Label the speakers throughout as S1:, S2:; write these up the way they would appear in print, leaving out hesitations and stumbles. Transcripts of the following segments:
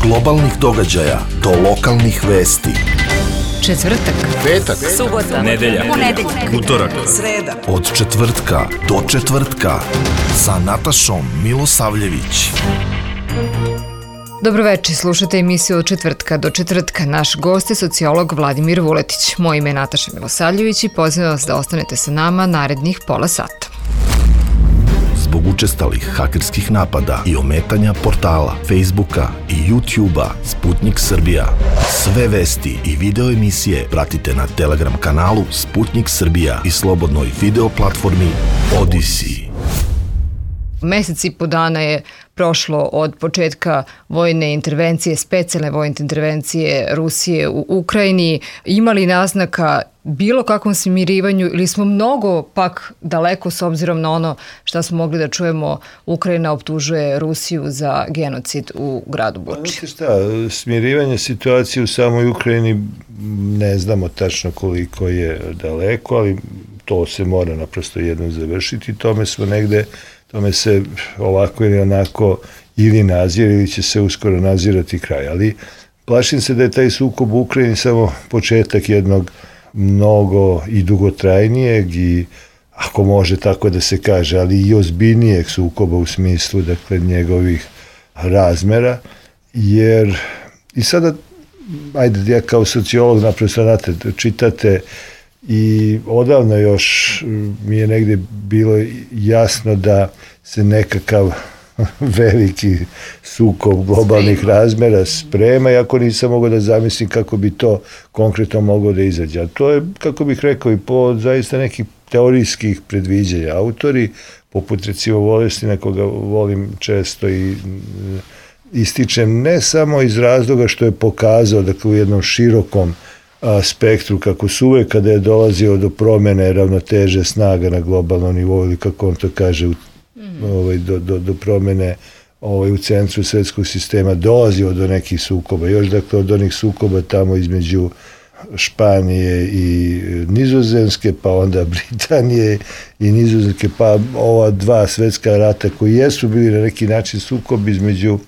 S1: globalnih događaja do lokalnih vesti.
S2: Četvrtak,
S3: petak,
S2: subota,
S3: nedelja, utorak,
S2: sreda.
S1: Od četvrtka do četvrtka sa Natašom Milosavljević.
S2: Dobroveče, slušate emisiju Od četvrtka do četvrtka. Naš gost je sociolog Vladimir Vuletić. Moje ime je Nataša Milosavljević i pozivam vas da ostanete sa nama narednih pola sata.
S1: Zbog učestalih hakerskih napada i ometanja portala, Facebooka i YouTubea Sputnik Srbija. Sve vesti i video emisije pratite na Telegram kanalu Sputnik Srbija i slobodnoj video platformi Odyssey.
S2: Mesec i po dana je prošlo od početka vojne intervencije, specijalne vojne intervencije Rusije u Ukrajini. Ima li naznaka bilo kakvom smirivanju ili smo mnogo pak daleko s obzirom na ono što smo mogli da čujemo? Ukrajina optužuje Rusiju za genocid u gradu Buči.
S4: Smirivanje situacije u samoj Ukrajini ne znamo tačno koliko je daleko, ali to se mora naprosto jednom završiti. Tome se ovako ili onako ili nazire ili će se uskoro nazirati kraj. Ali plašim se da je taj sukob u Ukrajini samo početak jednog mnogo i dugotrajnijeg i, ako može tako da se kaže, ali i ozbiljnijeg sukoba u smislu, dakle, njegovih razmera. Jer i sada, ajde, ja kao sociolog naprosto, znate, čitate i odavno još mi je negde bilo jasno da se nekakav veliki sukob globalnih razmera sprema, iako nisam mogao da zamislim kako bi to konkretno moglo da izađe. A to je, kako bih rekao, i po zaista nekih teorijskih predviđanja. Autori, poput recimo Volestina, koga volim često i ističem, ne samo iz razloga što je pokazao, dakle, u jednom širokom spektru, kako su uvek kada je dolazio do promene ravnoteže snaga na globalnom nivou, ili kako on to kaže, do promene u centru svetskog sistema, dolazio do nekih sukoba. Još, dakle, od onih sukoba tamo između Španije i Nizozemske, pa onda Britanije i Nizozemske, pa ova dva svetska rata koji jesu bili na neki način sukob između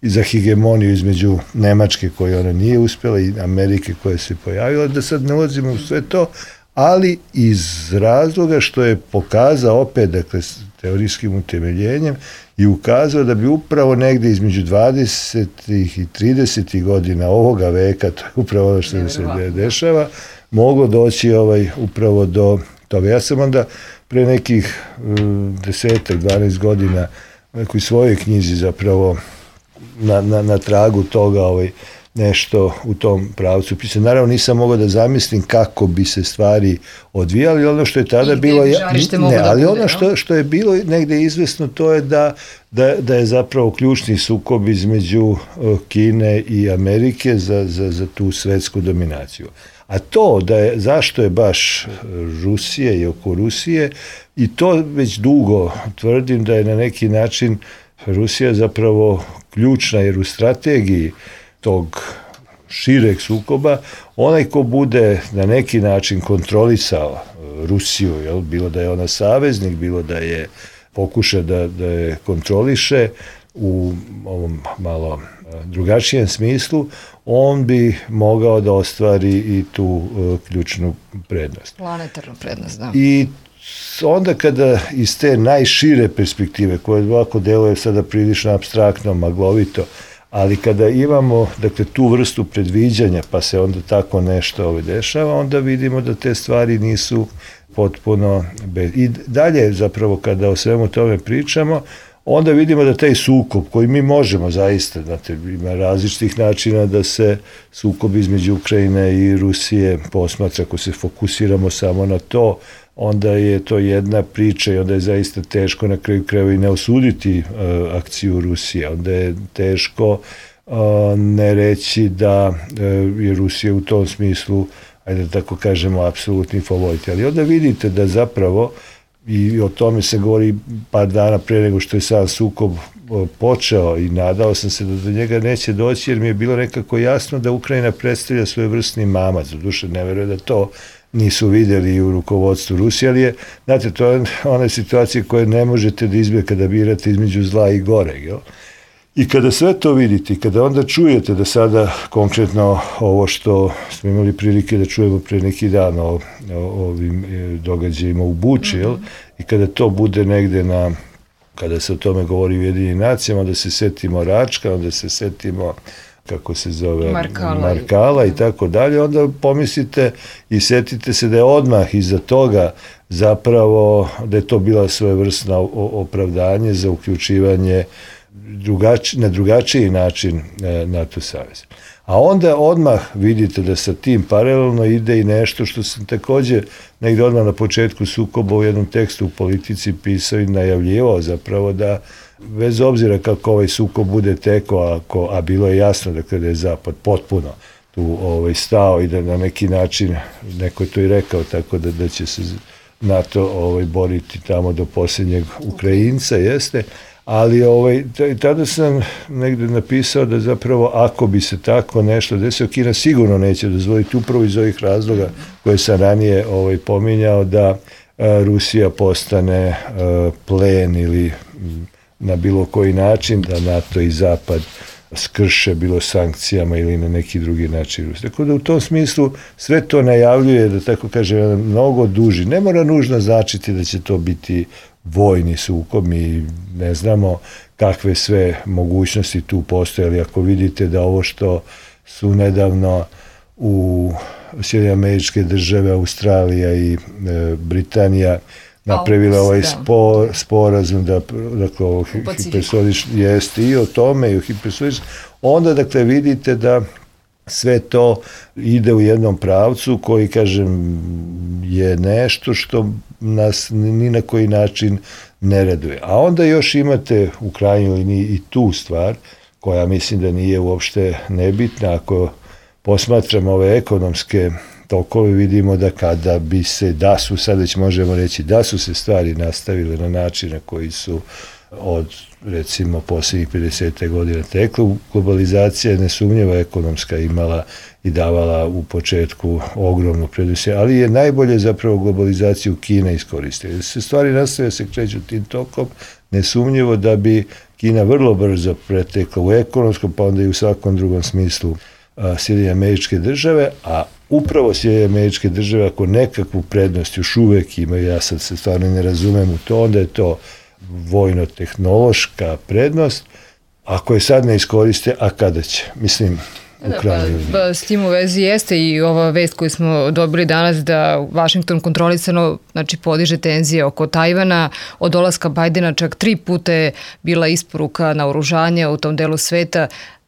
S4: i za hegemoniju između Nemačke, koje ona nije uspjela, i Amerike, koja se pojavila, da sad ne ulazimo u sve to, ali iz razloga što je pokazao opet, dakle, teorijskim utemeljenjem, i ukazao da bi upravo negde između 20. i 30. godina ovoga veka, to je upravo ono što se dešava, moglo doći upravo do toga. Ja sam onda pre nekih 10-12 godina u nekoj svojoj knjizi zapravo na tragu toga nešto u tom pravcu pisao. Naravno, nisam mogao da zamislim kako bi se stvari odvijali, ono što je tada bilo, ali ono što je bilo negde izvesno, to je da je zapravo ključni sukob između Kine i Amerike za tu svetsku dominaciju. A to zašto je baš Rusije i oko Rusije, i to već dugo tvrdim da je na neki način Rusija zapravo ključna, jer u strategiji tog šireg sukoba onaj ko bude na neki način kontrolisao Rusiju, bilo da je ona saveznik, bilo da je pokuša da je kontroliše u ovom malo drugačijem smislu, on bi mogao da ostvari i tu ključnu prednost.
S2: Planetarnu prednost, da.
S4: I onda kada iz te najšire perspektive, koja ovako deluje sada prilično apstraktno, maglovito, ali kada imamo, dakle, tu vrstu predviđanja, pa se onda tako nešto dešava, onda vidimo da te stvari nisu potpuno I dalje, zapravo, kada o svemu tome pričamo, onda vidimo da taj sukob koji mi možemo zaista, znate, ima različitih načina da se sukob između Ukrajine i Rusije posmatra. Ako se fokusiramo samo na to, onda je to jedna priča i onda je zaista teško na kraju krajeva i ne osuditi akciju Rusije. Onda je teško ne reći da je Rusija u tom smislu, ajde da tako kažemo, apsolutni favorit. Ali onda vidite da zapravo, i o tome se govori par dana pre nego što je sam sukob počeo, i nadao sam se da do njega neće doći, jer mi je bilo nekako jasno da Ukrajina predstavlja svojevrsni mamac. Doduše, ne verujem da to nisu vidjeli u rukovodstvu Rusije, ali je, znate, to je ona situacija koje ne možete da izbjegate kada birate između zla i goreg, jel? I kada sve to vidite i kada onda čujete da sada konkretno ovo što smo imali prilike da čujemo pre neki dan o ovim događajima u Buči, i kada to bude negde kada se o tome govori u Ujedinjenim nacijama, onda se setimo Račka, onda se setimo kako se zove Markala i tako dalje, onda pomislite i setite se da je odmah iza toga zapravo da je to bila svojevrsna opravdanje za uključivanje na drugačiji način NATO savez. A onda odmah vidite da sa tim paralelno ide i nešto što sam takođe negde odmah na početku sukoba u jednom tekstu u Politici pisao i najavljivao zapravo da bez obzira kako ovaj sukob bude tekao, a bilo je jasno da je Zapad potpuno tu stao i da na neki način, neko je to i rekao, tako da će se NATO boriti tamo do posljednjeg Ukrajinca, jeste, ali tada sam negde napisao da zapravo ako bi se tako nešto desilo, Kina sigurno neće dozvoliti upravo iz ovih razloga koje sam ranije pominjao, da Rusija postane plen ili na bilo koji način da NATO i Zapad skrše bilo sankcijama ili na neki drugi način. Tako da u tom smislu sve to najavljuje, da tako kažem, mnogo duži. Ne mora nužno značiti da će to biti vojni sukob, mi ne znamo kakve sve mogućnosti tu postoje, ali ako vidite da ovo što su nedavno u Sjedinjene Američke Države, Australija i Britanija napravila ovaj sporazum da ovo hipersonični jeste i o tome i o hipersoničnom, onda dakle vidite da sve to ide u jednom pravcu koji, kažem, je nešto što nas ni na koji način ne raduje. A onda još imate u krajnjoj liniji i tu stvar, koja mislim da nije uopšte nebitna. Ako posmatramo ove ekonomske tokove, vidimo da kada bi se, sad već možemo reći, da su se stvari nastavile na način na koji su od, recimo, posljednjih 50. godina tekle, globalizacija je nesumnjiva ekonomska imala i davala u početku ogromnu prednost, ali je najbolje zapravo globalizaciju Kina iskoristila. Se stvari nastave se kreću tim tokom, nesumnjivo da bi Kina vrlo brzo pretekla u ekonomskom, pa onda i u svakom drugom smislu Sjedinjene Američke Države, a upravo Sjedinjene Američke Države, ako nekakvu prednost još uvek imaju, ja sad se stvarno ne razumem u to, onda je to vojno-tehnološka prednost. Ako je sad ne iskoriste, a kada će? Mislim,
S2: s tim u vezi jeste i ova vest koju smo dobili danas da Vašington kontrolisano podiže tenzije oko Tajvana. Od dolaska Bajdena čak 3 puta je bila isporuka naoružanja u tom delu sveta.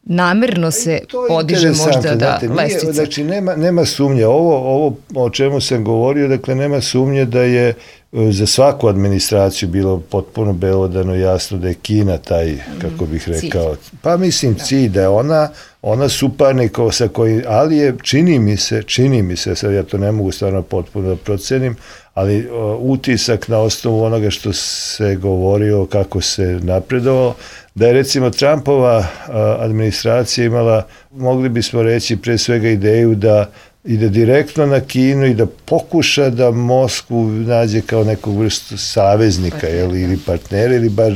S2: Namerno se podiže možda lestica.
S4: Znači, nema sumnje. Ovo o čemu sam govorio, dakle, nema sumnje da je za svaku administraciju bilo potpuno belodano jasno da je Kina taj, kako bih rekao, pa mislim cilj, da je ona suparnik sa koji, ali je, čini mi se, sad ja to ne mogu stvarno potpuno da procenim, ali utisak na osnovu onoga što se govorio, kako se napredovalo, da je recimo Trumpova administracija imala, mogli bismo reći, pre svega ideju da ide direktno na Kinu i da pokuša da Moskvu nađe kao nekog vrstu saveznika ili partnera ili bar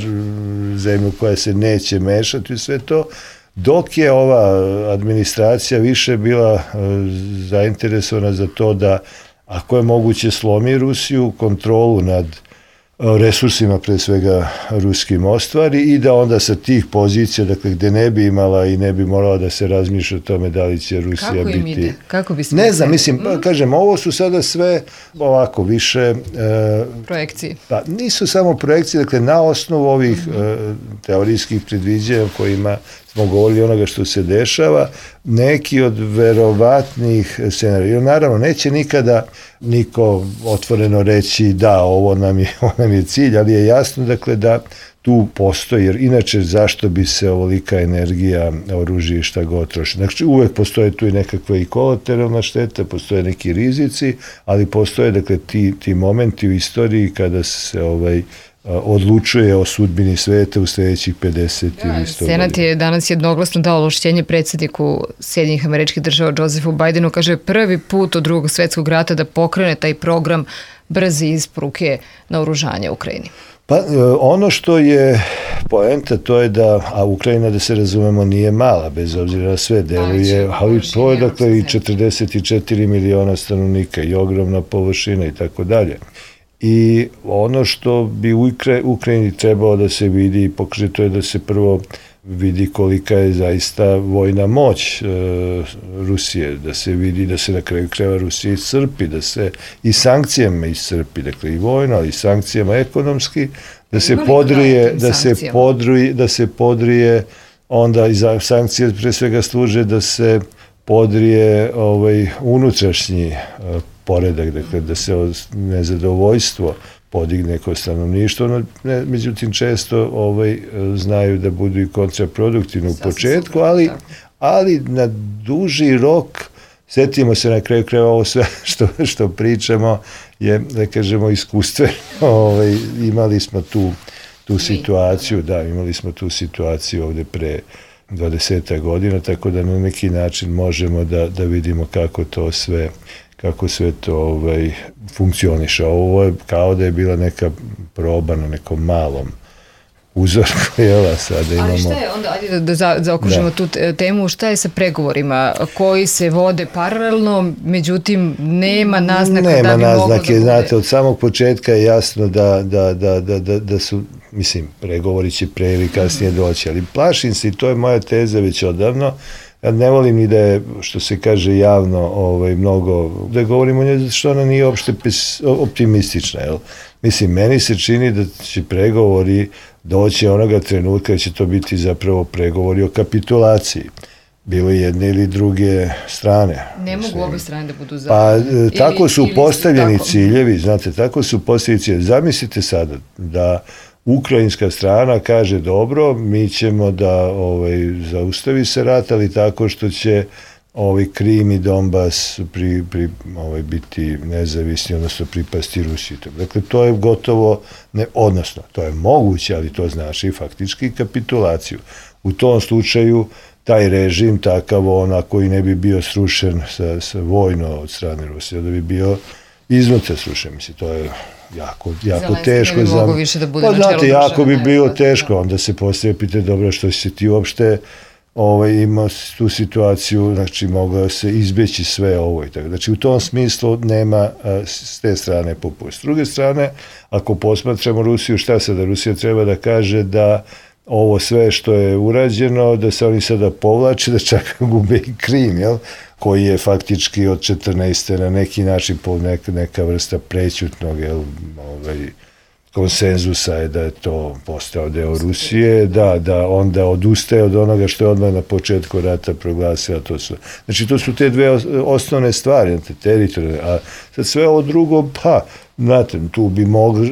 S4: zemlju koja se neće mešati u sve to, dok je ova administracija više bila zainteresovana za to da, ako je moguće, slomi Rusiju, kontrolu nad resursima, pre svega ruskim, ostvari i da onda sa tih pozicija, dakle, gde ne bi imala i ne bi morala da se razmišlja o tome da li će Rusija biti...
S2: Kako im ide? Kako bi se...
S4: Ne znam, mislim, kažem, ovo su sada sve ovako više...
S2: projekcije.
S4: Pa nisu samo projekcije, dakle, na osnovu ovih teorijskih predviđanja kojima smo govorili onoga što se dešava, neki od verovatnih scenarija. Naravno, neće nikada niko otvoreno reći da, ovo nam je cilj, ali je jasno, dakle, da tu postoji, jer inače zašto bi se ovolika energija, oružje i šta god troši. Znači, uvek postoje tu i nekakva i kolateralna šteta, postoje neki rizici, ali postoje, dakle, ti momenti u istoriji kada se odlučuje o sudbini sveta u sledećih 50 ili 100 godina.
S2: Senat je danas jednoglasno dao ovlašćenje predsjedniku Sjedinjenih Američkih Država Josephu Bajdenu, kaže, prvi put od Drugog svetskog rata da pokrene taj program brze isporuke naoružanja Ukrajini.
S4: Pa ono što je poenta, to je da, a Ukrajina, da se razumemo, nije mala, bez obzira na sve, deluje, ali to je dakle i 44 miliona stanovnika i ogromna površina i tako dalje. I ono što bi u Ukrajini trebalo da se vidi i pokaže, to je da se prvo vidi kolika je zaista vojna moć Rusije, da se vidi da se na kraju krajeva Rusija iscrpi, da se i sankcijama iscrpi, dakle i vojno, ali i sankcijama ekonomski, da se podrije, onda i sankcije pre svega služe da se podrije unutrašnji poredak, dakle da se nezadovoljstvo podigne kod stanovništva, međutim često znaju da budu i kontraproduktivni u početku, ali na duži rok, setimo se na kraju krajeva ovo sve što pričamo je, da kažemo, iskustveno, imali smo tu situaciju ovde pre 20 godina, tako da na neki način možemo da vidimo kako sve to funkcioniše. Ovo je kao da je bila neka proba na nekom malom uzorku, jela, sada imamo...
S2: Ali šta je onda, ajde da zaokružimo tu temu, šta je sa pregovorima koji se vode paralelno, međutim nema naznaka da bi moglo da bude...
S4: Znate, od samog početka je jasno da su, mislim, pregovori će pre ili kasnije doći, ali plašim se, i to je moja teza već odavno, ja ne volim ni da je, što se kaže javno, mnogo, da govorimo o njoj, zato što ona nije uopšte optimistična, jel? Mislim, meni se čini da će pregovori doći onoga trenutka da će to biti zapravo pregovori o kapitulaciji. Bilo jedne ili druge strane.
S2: Ne mogu obe strane da budu za...
S4: Pa tako su postavljeni ciljevi, znate, tako su postavljeni ciljevi. Zamislite sada da ukrajinska strana kaže dobro, mi ćemo da zaustavi se rat, ali tako što će Krim i Donbas biti nezavisni, odnosno pripasti Rusiji. Dakle, to je gotovo, odnosno, to je moguće, ali to znači faktički kapitulaciju. U tom slučaju, taj režim, takav koji ne bi bio srušen sa vojno od strane Rusije, da bi bio iznutra srušen. Mislim, to je jako teško.
S2: Ne bi mogo više da bude na čelu
S4: države. Jako bi bilo teško, onda se postavlja pitanje, dobro, što će ti uopšte imao tu situaciju, znači mogao se izbjeći sve ovo i tako. Znači u tom smislu nema s te strane popust. S druge strane, ako posmatramo Rusiju, šta sada? Rusija treba da kaže da ovo sve što je urađeno, da se oni sada povlače, da čak gube i Krim, jel? Koji je faktički od 14. na neki način neka vrsta prećutnog, jel, konsenzusa je da je to postao deo Rusije, da onda odustaje od onoga što je odmah na početku rata proglasila. Znači, to su te dve osnovne stvari, teritorijalne, a sad sve ovo drugo, pa, znate, tu bi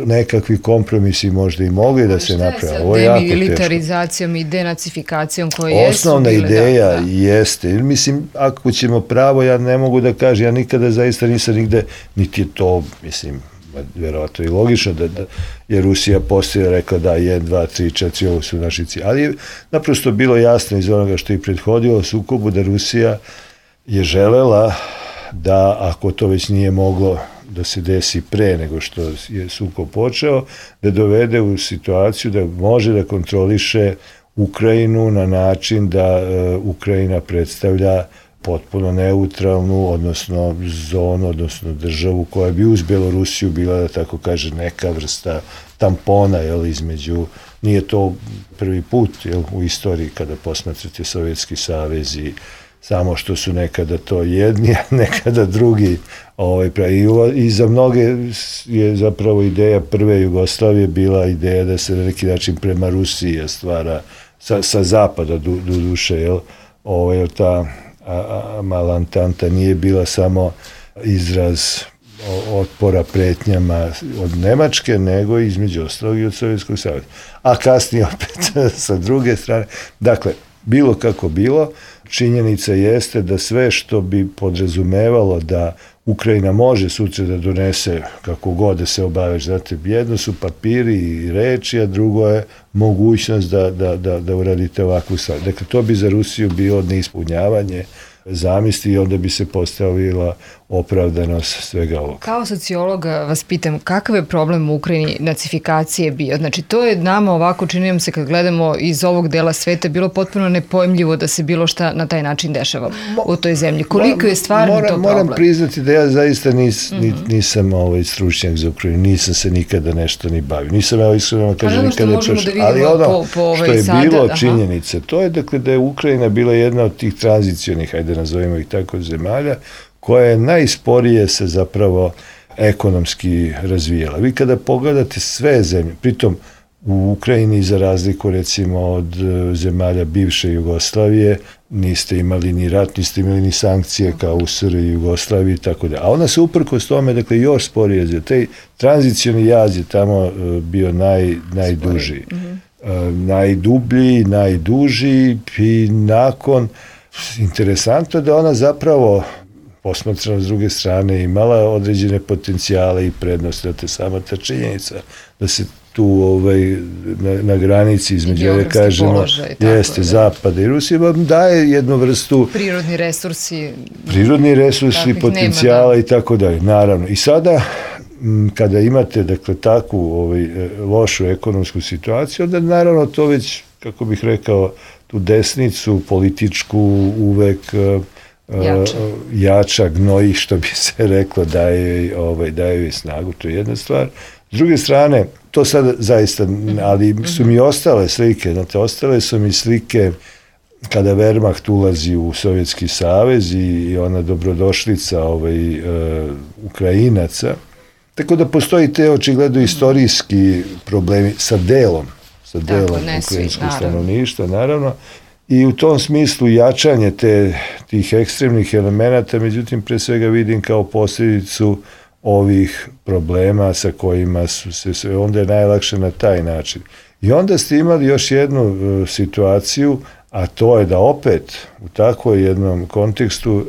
S4: nekakvi kompromisi možda i mogli da se naprave. Ovo je jako teško.
S2: Demilitarizacijom i denacifikacijom koje jesu
S4: osnovna ideja jeste, mislim, ako ćemo pravo, ja ne mogu da kažem, ja nikada zaista nisam nigde, niti je to, mislim, verovatno i logično da je Rusija poslije rekla da 1, 2, 3, 4, ovo su naši cilji. Ali je naprosto bilo jasno iz onoga što je prethodilo sukobu da Rusija je želela da, ako to već nije moglo da se desi pre nego što je sukob počeo, da dovede u situaciju da može da kontroliše Ukrajinu na način da Ukrajina predstavlja potpuno neutralnu, odnosno zonu, odnosno državu koja bi uz Belorusiju bila, da tako kaže, neka vrsta tampona, jel, između, nije to prvi put, jel, u istoriji kada posmatrate Sovjetski savez i samo što su nekada to jedni, a nekada drugi. I za mnoge je zapravo ideja prve Jugoslavije bila ideja da se na neki način prema Rusiji stvara sa zapada do duše, jel, ta mala Antanta nije bila samo izraz otpora pretnjama od Nemačke, nego između ostalog i od Sovjetskog saveza. A kasnije opet sa druge strane. Dakle, bilo kako bilo, činjenica jeste da sve što bi podrazumevalo da Ukrajina može sutra da donese kako god da se obaveš, znate, jedno su papiri i reči, a drugo je mogućnost da uradite ovakvu stvar. Dakle, to bi za Rusiju bilo neispunjavanje zamisli i onda bi se postavila opravdanost svega ovoga.
S2: Kao sociologa vas pitam, kakav je problem u Ukrajini nacifikacije bio? Znači, to je nama ovako, čini nam se kad gledamo iz ovog dela sveta, bilo potpuno nepojmljivo da se bilo šta na taj način dešava u toj zemlji. Koliko je stvarno to problem?
S4: Moram priznati da ja zaista nisam stručnjak za Ukrajinu, nisam se nikada nešto ni bavio. Nisam, iskreno kažem, nikada
S2: prošao.
S4: Ali ono što je bilo činjenica, to je dakle da je Ukrajina bila jedna od tih tranzicionih, hajde nazovimo ih tako, zemalja, koja je najsporije se zapravo ekonomski razvijala. Vi kada pogledate sve zemlje, pritom u Ukrajini za razliku recimo od zemalja bivše Jugoslavije niste imali ni rat, niste imali ni sankcije kao u SRJ i Jugoslaviji i tako da. A ona se uprkos tome, dakle, još sporije razvija. Taj tranzicioni jaz je tamo bio najduži. Najdublji, najduži i nakon, interesantno da ona zapravo posmatrano s druge strane imala određene potencijale i prednosti, da te sama ta činjenica da se tu na granici između, da kažemo, jeste Zapada i Rusije, vam daje jednu vrstu prirodni resursi, potencijala i tako dalje, naravno. I sada, kada imate, dakle, takvu lošu ekonomsku situaciju, onda naravno to već, kako bih rekao, tu desnicu političku uvek jača, gnoji, što bi se reklo, daje joj snagu, to je jedna stvar. S druge strane, to sad zaista, ali su mi ostale slike, znate, ostale su mi slike kada Wehrmacht ulazi u Sovjetski savez i ona dobrodošlica Ukrajinaca, tako da postoji te očigledno istorijski problemi sa delom ukrajinskog stanovništva, naravno, i u tom smislu jačanje tih ekstremnih elemenata, međutim, pre svega vidim kao posljedicu ovih problema sa kojima su se, onda je najlakše na taj način. I onda ste imali još jednu situaciju, a to je da opet u takvom jednom kontekstu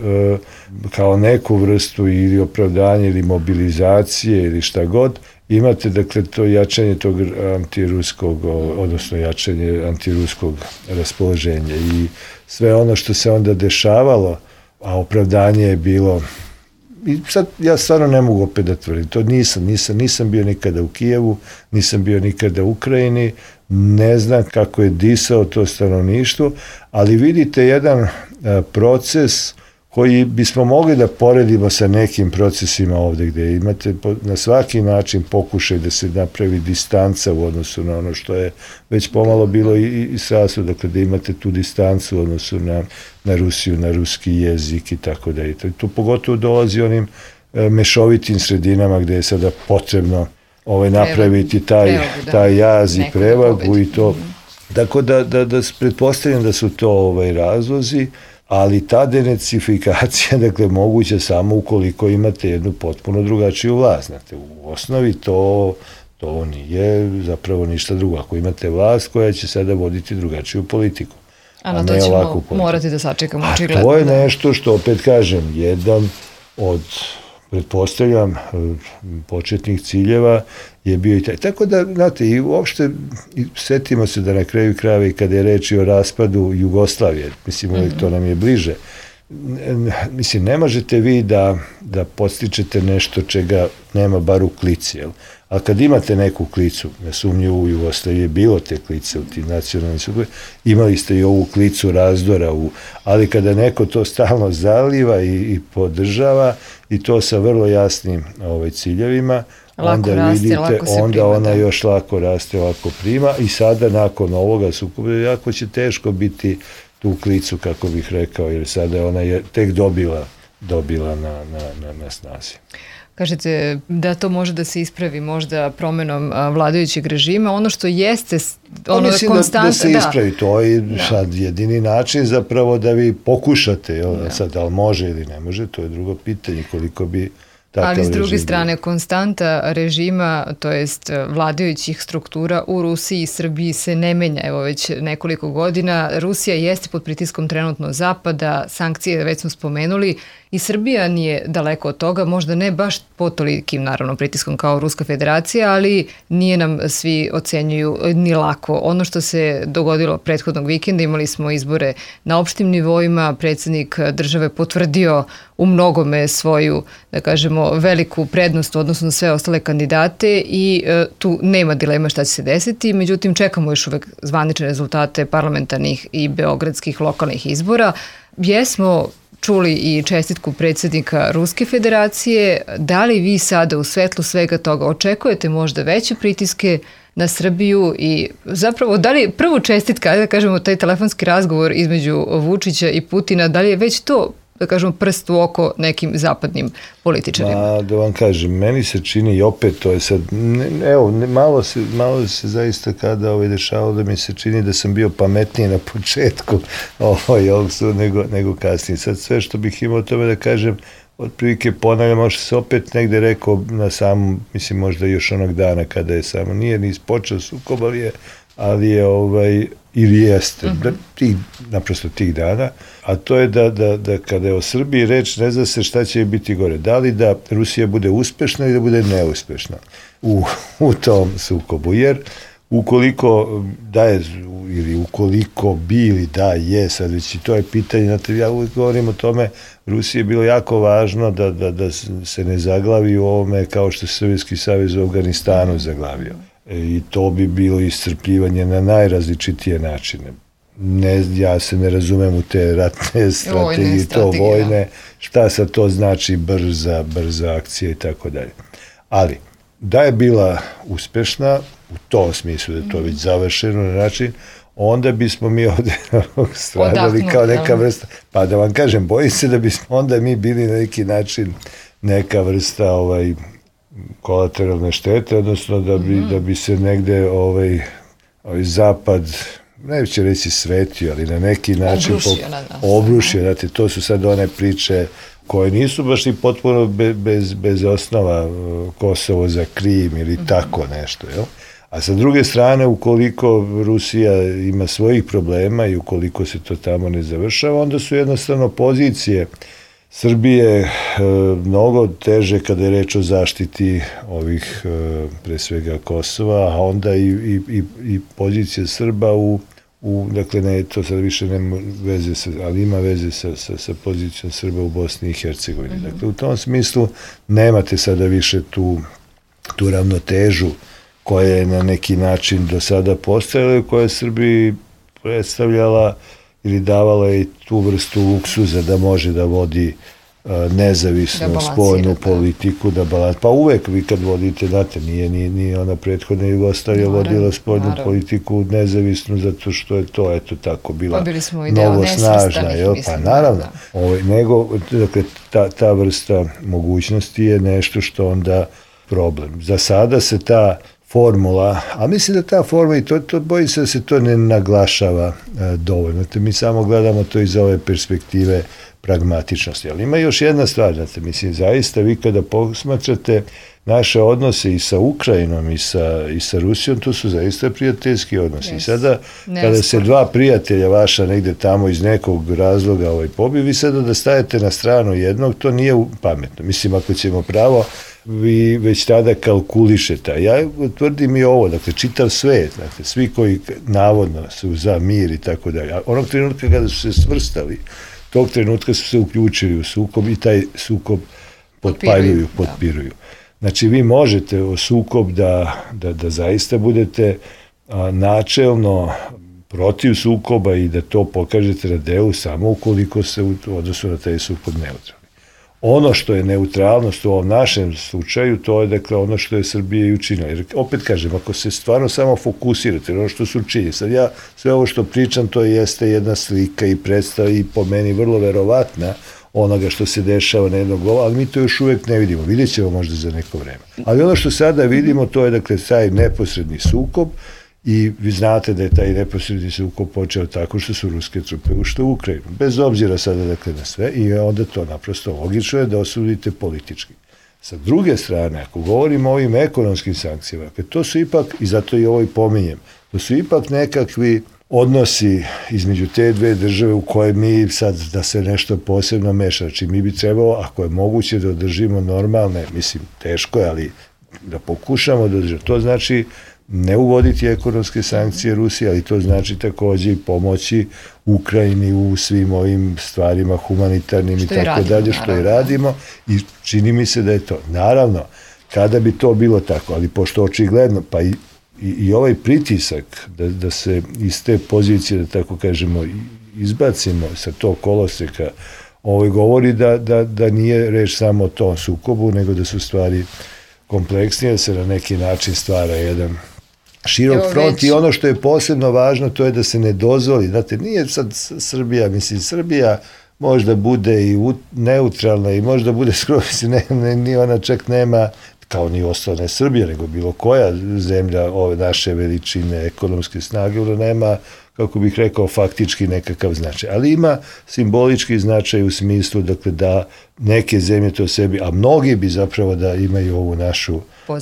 S4: kao neku vrstu ili opravdanje ili mobilizacije ili šta god, imate, dakle, to jačanje tog antiruskog, odnosno jačanje antiruskog raspoloženja i sve ono što se onda dešavalo, a opravdanje je bilo, i sad ja stvarno ne mogu opet da tvrdim, to nisam bio nikada u Kijevu, nisam bio nikada u Ukrajini, ne znam kako je disao to stanovništvo, ali vidite jedan proces koji bismo mogli da poredimo sa nekim procesima ovde, gde imate na svaki način pokušaj da se napravi distanca u odnosu na ono što je već pomalo bilo i sasvim, dakle da imate tu distancu u odnosu na Rusiju, na ruski jezik i tako da. I tu pogotovo dolazi onim mešovitim sredinama gde je sada potrebno napraviti taj jaz i prevagu i to. Tako da pretpostavljam da su to razlozi, ali ta denacifikacija, dakle, moguća samo ukoliko imate jednu potpuno drugačiju vlast. Znate, u osnovi to nije zapravo ništa drugo. Ako imate vlast koja će sada voditi drugačiju politiku.
S2: A na to ćemo morati da sačekamo očigledno.
S4: A to je nešto što, opet kažem, jedan od, pretpostavljam, početnih ciljeva je bio i taj. Tako da, znate, i uopšte setimo se da na kraju krajeva i kada je reč o raspadu Jugoslavije, mislim, uvijek to nam je bliže, mislim, ne možete vi da podstičete nešto čega nema bar u klici, jel? A kad imate neku klicu, nesumnjivo u Jugoslaviji je bilo te klice u tim nacionalnim sukobima, imali ste i ovu klicu razdora, ali kada neko to stalno zaliva i podržava i to sa vrlo jasnim ciljevima, onda vidite, onda ona još lako raste, lako prima i sada nakon ovoga sukoba jako će teško biti tu klicu, kako bih rekao, jer sada ona je tek dobila na snazi.
S2: Kažete da to može da se ispravi možda promenom vladajućeg režima, ono što jeste
S4: mislim da se ispravi, to je sad jedini način zapravo da vi pokušate, sad da li može ili ne može, to je drugo pitanje, koliko bi
S2: Ali s druge strane, konstanta režima, to jest vladajućih struktura u Rusiji i Srbiji se ne menja, evo već nekoliko godina. Rusija jeste pod pritiskom trenutno Zapada, sankcije već smo spomenuli i Srbija nije daleko od toga, možda ne baš pod tolikim naravno pritiskom kao Ruska federacija, ali nije nam svi ocenjuju ni lako. Ono što se dogodilo prethodnog vikenda, imali smo izbore na opštim nivoima, predsjednik države potvrdio u mnogome svoju, da kažemo, veliku prednost u odnosu na sve ostale kandidate i tu nema dilema šta će se desiti, međutim čekamo još uvek zvanične rezultate parlamentarnih i beogradskih lokalnih izbora. Jesmo čuli i čestitku predsjednika Ruske federacije. Da li vi sada u svetlu svega toga očekujete možda veće pritiske na Srbiju i zapravo da li prvu čestitka, da kažemo taj telefonski razgovor između Vučića i Putina, da li je već to, da kažemo, prst u oko nekim zapadnim političarima?
S4: Da vam kažem, meni se čini i opet to je sad, malo se zaista kada dešavalo da mi se čini da sam bio pametniji na početku nego kasnije. Sad sve što bih imao o tome da kažem, otprilike ponavljam, možda se opet negde rekao na samom, mislim možda još onog dana kada je samo, nije ni ispočeo sukob, ali je ili jeste, naprosto tih dana, a to je da kada je o Srbiji reč, ne zna se šta će biti gore. Da li da Rusija bude uspešna ili da bude neuspešna u tom sukobu, jer ukoliko da je, ili ukoliko bi ili da je, sad već i to je pitanje, znate, ja uvijek govorim o tome, Rusiji je bilo jako važno da se ne zaglavi u ovome kao što se Sovjetski savez u Afganistanu zaglavio. I to bi bilo iscrpljivanje na najrazličitije načine. Ja se ne razumem u te ratne strategije, to vojne, šta sad to znači brza akcija i tako dalje. Ali, da je bila uspešna, u tom smislu da je to već završeno na način, onda bismo mi ovde stradali kao neka vrsta, pa da vam kažem, bojim se da bismo onda mi bili na neki način neka vrsta kolateralne štete, odnosno da bi se negde zapad, neće reći svetio, ali na neki način obrušio. Znate, to su sad one priče koje nisu baš i potpuno bez osnova, Kosovo za Krim ili tako nešto, jel? A sa druge strane, ukoliko Rusija ima svojih problema i ukoliko se to tamo ne završava, onda su jednostavno pozicije Srbije mnogo teže kada je reč o zaštiti ovih, pre svega, Kosova, a onda i pozicija Srba dakle, ne, to sad više nema veze, ali ima veze sa pozicijom Srba u Bosni i Hercegovini. Dakle, u tom smislu nemate sada više tu ravnotežu koja je na neki način do sada postojala i koja je Srbiji predstavljala ili davala je tu vrstu luksuza da može da vodi nezavisnu spoljnu politiku, pa uvek vi kad vodite, znate, nije ona prethodna Jugoslavija vodila spoljnu politiku nezavisnu zato što je to, eto tako, bila mnogo snažna, pa naravno, nego, dakle, ta vrsta mogućnosti je nešto što onda problem. Za sada se ta formula, a mislim da ta formula, i to bojim se da se to ne naglašava dovoljno. Mi samo gledamo to iz ove perspektive pragmatičnosti. Ali ima još jedna stvar, znate, mislim, zaista vi kada posmatrate naše odnose i sa Ukrajinom i sa Rusijom, to su zaista prijateljski odnosi. I sada, kada se dva prijatelja vaša negde tamo iz nekog razloga pobiju, vi sada da stajete na stranu jednog, to nije pametno. Mislim, ako ćemo pravo, vi već tada kalkulišete. Ja tvrdim i ovo, dakle, čitav svet, dakle, svi koji navodno su za mir i tako dalje. Onog trenutka kada su se svrstali, tog trenutka su se uključili u sukob i taj sukob potpiruju. Znači, vi možete u sukob da zaista budete načelno protiv sukoba i da to pokažete na delu samo ukoliko se u odnosu na taj sukob neutralni. Ono što je neutralnost u ovom našem slučaju, to je, dakle, ono što je Srbija i učinila. Jer, opet kažem, ako se stvarno samo fokusirate na ono što su činili, sad ja sve ovo što pričam, to jeste jedna slika i predstava i po meni vrlo verovatna onoga što se dešava na jednog glava, ali mi to još uvek ne vidimo. Vidjet ćemo možda za neko vreme. Ali ono što sada vidimo, to je, dakle, taj neposredni sukob. I vi znate da je taj neposredni sukob počeo tako što su ruske trupe ušle u Ukrajinu. Bez obzira sada, dakle, na sve, i onda to naprosto logično je da osudite politički. Sa druge strane, ako govorimo o ovim ekonomskim sankcijama, to su ipak, i zato i ovo i pominjem, to su ipak nekakvi odnosi između te dve države u koje mi sad da se nešto posebno meša. Znači mi bi trebalo, ako je moguće da održimo normalne, mislim teško je, ali da pokušamo da održimo. To znači ne uvoditi ekonomske sankcije Rusije, ali to znači takođe i pomoći Ukrajini u svim ovim stvarima humanitarnim i tako dalje, što i radimo, i čini mi se da je to. Naravno, kada bi to bilo tako, ali pošto očigledno, pa i ovaj pritisak da se iz te pozicije, da tako kažemo, izbacimo sa tog koloseka, govori da nije reč samo o tom sukobu, nego da su stvari kompleksnije, da se na neki način stvara jedan širok front i ono što je posebno važno to je da se ne dozvoli, znate, nije sad Srbija, mislim, Srbija možda bude i neutralna i možda bude skoro, ni ona čak nema, kao ni ostale Srbije, nego bilo koja zemlja ove naše veličine, ekonomske snage, ona nema, kako bih rekao, faktički nekakav značaj. Ali ima simbolički značaj u smislu, dakle, da neke zemlje to sebi, a mnogi bi zapravo da imaju ovu našu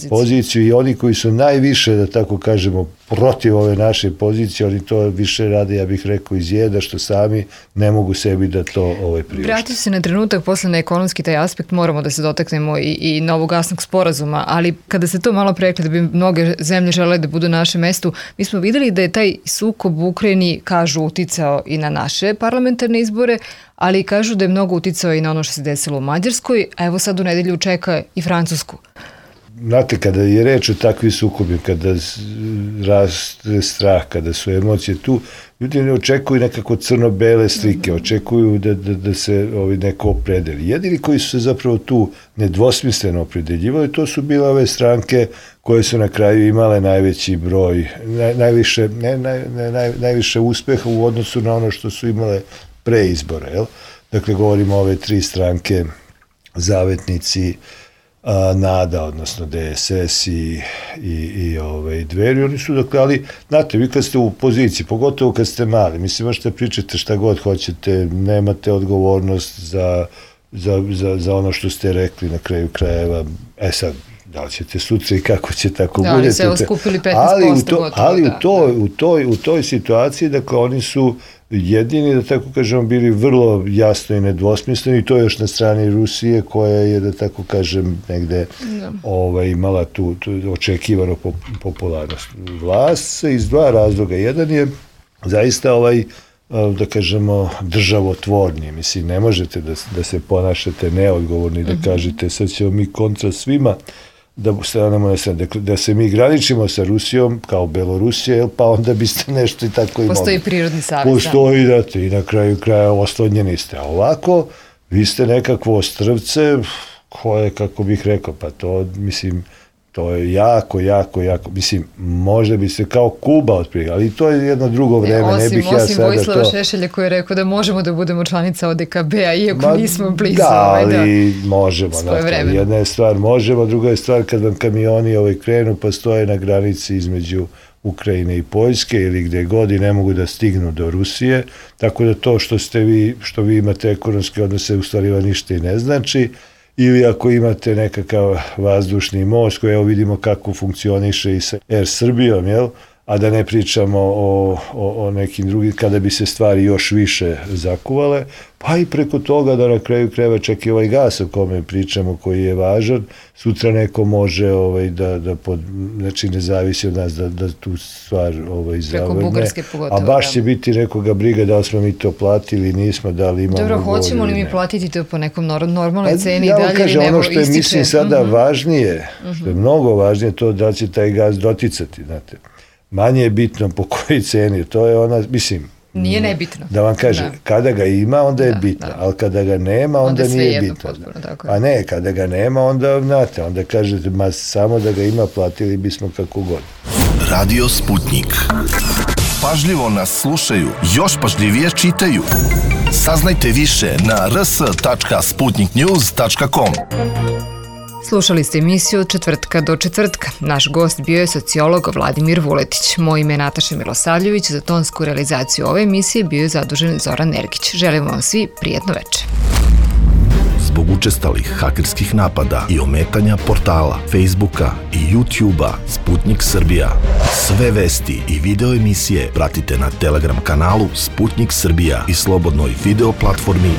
S4: poziciju i oni koji su najviše, da tako kažemo, protiv ove naše pozicije, oni to više rade, ja bih rekao, iz jeda, što sami ne mogu sebi da to priušte.
S2: Vratio se na trenutak posle na ekonomski taj aspekt, moramo da se dotaknemo i novog gasnog sporazuma, ali kada se to malo prerekli da bi mnoge zemlje želele da budu na našem mestu, mi smo videli da je taj sukob u Ukrajini, kažu, uticao i na naše parlamentarne izbore, ali kažu da je mnogo uticao i na ono što se desilo u Mađarskoj, a evo sad u nedelju čeka i Francusku.
S4: Znate, kada je reč o takvim sukobima, kada raste strah, kada su emocije tu, ljudi ne očekuju nekako crno-bele slike, očekuju da se neko opredeli. Jedini koji su se zapravo tu nedvosmisleno opredeljivali, to su bile ove stranke koje su na kraju imale najveći broj, najviše uspeha u odnosu na ono što su imale pre izbora. Jel? Dakle, govorimo o ove tri stranke, Zavetnici, NADA, odnosno DSS i Dveri, oni su, dakle, ali, znate, vi kad ste u poziciji, pogotovo kad ste mali, mislim, možete pričate šta god hoćete, nemate odgovornost za ono što ste rekli na kraju krajeva, sad, da li ćete sutra i kako će tako budete. Da, ali
S2: se evo skupili 15%.
S4: Ali u toj situaciji, dakle, oni su jedini, da tako kažemo, bili vrlo jasno i nedvosmisleni, i to je još na strani Rusije koja je, da tako kažem, negde imala tu očekivanu popularnost. Vlast se iz dva razloga. Jedan je zaista da kažemo, državotvorni. Mislim, ne možete da se ponašate neodgovorni, da kažete sad ćemo mi kontra svima, da se mi graničimo sa Rusijom kao Belorusija, pa onda biste nešto i tako imali.
S2: Postoji prirodni savez.
S4: Postoji, da, i na kraju kraja oslonjeni ste. A ovako, vi ste nekakvo ostrvce koje, kako bih rekao, pa to, mislim, to je jako, mislim, možda bi se kao Kuba otprilike, ali to je jedno drugo vreme, ne bih ja sada to...
S2: Osim Vojislava Šešelja koji je rekao da možemo da budemo članica ODKB-a, iako nismo blizu.
S4: Da, ali možemo. Jedna je stvar možemo, druga je stvar kad vam kamioni krenu pa stoje na granici između Ukrajine i Poljske ili gde god i ne mogu da stignu do Rusije, tako da to što vi imate ekonomske odnose u stvari ništa i ne znači. Ili ako imate nekakav vazdušni most koji, evo vidimo kako funkcioniše i sa Air Srbijom, jel? A da ne pričamo o nekim drugim, kada bi se stvari još više zakuvale, pa i preko toga da na kraju krajeva čak i ovaj gas o kome pričamo koji je važan, sutra neko može znači ne zavisi od nas da tu stvar zavrne.
S2: Preko Bugarske pogotovo.
S4: A baš će biti nekoga briga da li smo mi to platili, nismo, da li imamo...
S2: Dobro, hoćemo li mi platiti to po nekom normalnoj ceni i
S4: dalje
S2: ili
S4: kažem, ono što je, mislim, sada važnije, što je mnogo važnije, to da će taj gas doticati, znate. Manje je bitno po kojoj ceni, to je ona, mislim...
S2: Nije nebitno.
S4: Da vam kažem, kada ga ima, onda je bitno, ali kada ga nema, onda nije bitno. A ne, kada ga nema, onda, znate, onda kažete, samo da ga ima, platili bismo kako god.
S1: Radio Sputnik. Pažljivo nas slušaju, još pažljivije čitaju. Saznajte više na rs.sputniknews.com.
S2: Slušali ste emisiju od četvrtka do četvrtka. Naš gost bio je sociolog Vladimir Vuletić. Moje ime je Nataša Milosavljević. Za tonsku realizaciju ove emisije bio je zadužen Zoran Ergić. Želimo vam svi prijatno večer.
S1: zbog učestalih hakerskih napada i ometanja portala, Facebooka i YouTubea Sputnik Srbija. Sve vesti i video emisije pratite na Telegram kanalu Sputnik Srbija i slobodnoj video platformi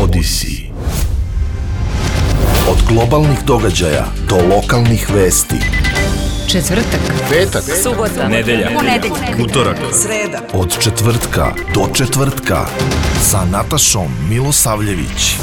S1: Odyssey. Od globalnih događaja do lokalnih vesti.
S2: Četvrtak,
S1: Petak,
S3: subota, nedelja, ponedeljak, utorak,
S5: sreda.
S1: od četvrtka do četvrtka sa Natašom Milosavljević.